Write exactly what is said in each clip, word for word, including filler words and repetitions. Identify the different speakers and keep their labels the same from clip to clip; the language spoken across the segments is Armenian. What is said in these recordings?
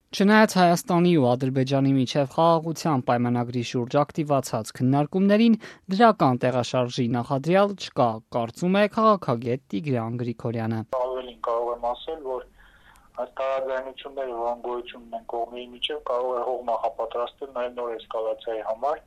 Speaker 1: Չնայած Հայաստանի ու Ադրբեջանի միջև խաղաղության պայմանագրի շուրջ ակտիվացած քննարկումներին, դրական տեղաշարժի նախադրյալ չկա, կարծում է քաղաքագետ Տիգրան Գրիգորյանը։
Speaker 2: Ավելին կարող եմ ասել, որ այս տարաձայնությունները, որոնք գոյություն ունեն կողմերի միջև, կարող է հող նախապատրաստել նաև նոր էսկալացիայի համար,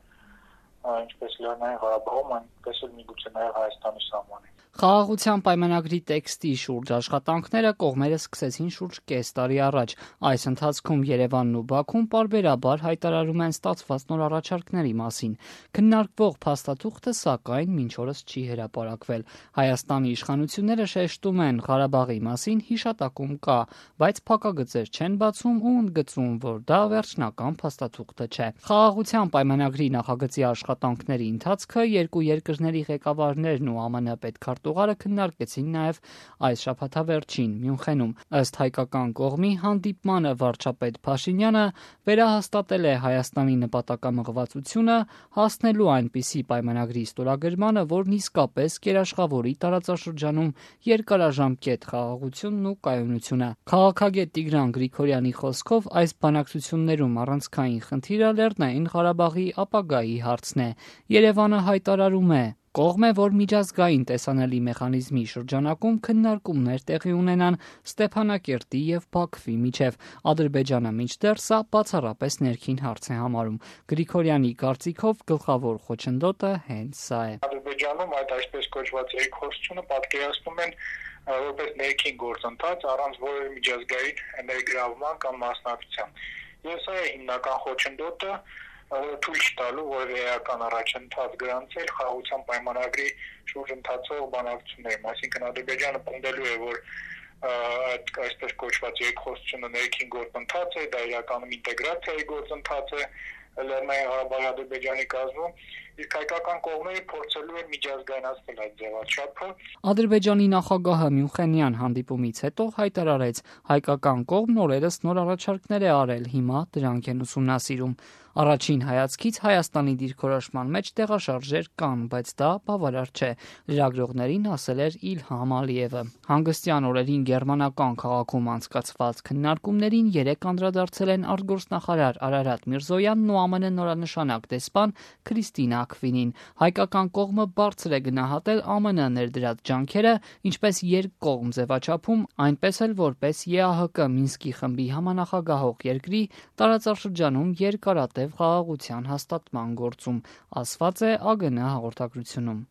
Speaker 2: ինչպես Լեռնային Ղարաբաղում, այնպես էլ միգուցե նաև Հայաստանի սահմանին։
Speaker 1: Խաղաղության պայմանագրի տեքստի շուրջ աշխատանքները կողմերը սկսեցին շուրջ կես տարի առաջ։ Այս ընթացքում Երևանն ու Բաքուն պարբերաբար հայտարարում են ստացված նոր առաջարկների մասին։ Քննարկվող փաստաթուղթը, սակայն, մինչ օրս չի հրապարակվել։ Հայաստանի իշխանությունները շեշտում են Ղարաբաղի մասին հիշատակում կա, բայց փակագծեր չեն բացում ու ընդգծում, որ դա վերջնական փաստաթուղթը չէ։ Խաղաղության պայմանագրի նախագծի աշխատանքների ընթացքը երկու երկրների ղեկավարներն ու ԱՄՆ պետքարտուղարը քննարկեցին նաև այս շաբաթավերջին Մյունխենում։ Ըստ հայկական կողմի հանդիպմանը վարչապետ Փաշինյանը վերահաստատել է Հայաստանի նպատակամղվածությունը հասնելու այնպիսի պայմանագրի ստորագրմանը, որն իսկապես կերաշխավորի տարածաշրջանում երկարաժամկետ խաղաղությունն ու կայունությունը։ Քաղաքագետ Տիգրան Գրիգորյանի խոսքով, այս բանակցություններում առանցքային խնդիրը Լեռնային Ղարաբաղի ապագայի հարցն է։ Երևանը հայտարարում է. Կողմ է, որ միջազգային տեսանելի մեխանիզմի շրջանակում քննարկումներ տեղի ունենան Ստեփանակերտի եւ Բաքվի միջև։ Ադրբեջանը մինչդեռ սա բացառապես ներքին հարց է համարում։ Գրիգորյանի կարծիքով գլխավոր խոչընդոտը հենց սա է։
Speaker 2: Ադրբեջանում այդ այսպես կոչված երկխոսությունը պատկերացնում են որպես ներքին գործընթաց առանց որևէ միջազգային ներգրավման կամ մասնակցության։ Եվ սա է հիմնական խոչընդոտը, թույլ չտալու որևէ էական առաջընթաց գրանցել խաղաղության պայմանագրի շուրջ ընթացող բանակցություններում, այսինքն Ադրբեջանը պնդելու է, որ այդ այսպես կոչված երկխոսությունը ներքին գործընթաց է, դա իրականում ինտեգրացիայի գործընթաց է Լեռնային Ղարաբաղի Ադրբեջանի կազմում, իսկ հայկական կողմերը փորձելու են միջազգայնացնել այդ ձևաչափը։
Speaker 1: Ադրբեջանի նախագահը Մյունխենյան հանդիպումից հետո հայտարարեց, հայկական կողմն օրերս նոր առաջարկներ է արել, հիմա դրանք են ուսումնասիրում։ Առաջին հայացքից Հայաստանի դիրքորոշման մեջ տեղաշարժեր կան, բայց դա բավարար չէ, լրագրողներին ասել էր Իլհամ Ալիևը։ Հանգստյան օրերին գերմանական քաղաքում անցկացված քննարկումներին երեք անդրադարձել են արտգործնախարար Արարատ Միրզոյանն ու ԱՄՆ նորանշանակ դեսպան Քրիստինա Աքվինին։ Հայկական կողմը բարձր է գնահատել ԱՄՆ ներդրած ջանքերը, ինչպես երկկողմ ձևաչափում, այնպես էլ որպես ԵԱՀԿ Մինսկի խմբի համանախագահող երկրի տարածաշրջանում երկարատև խաղաղության հաստատման գործում, ասված է ԱԳՆ հաղորդագրությունում։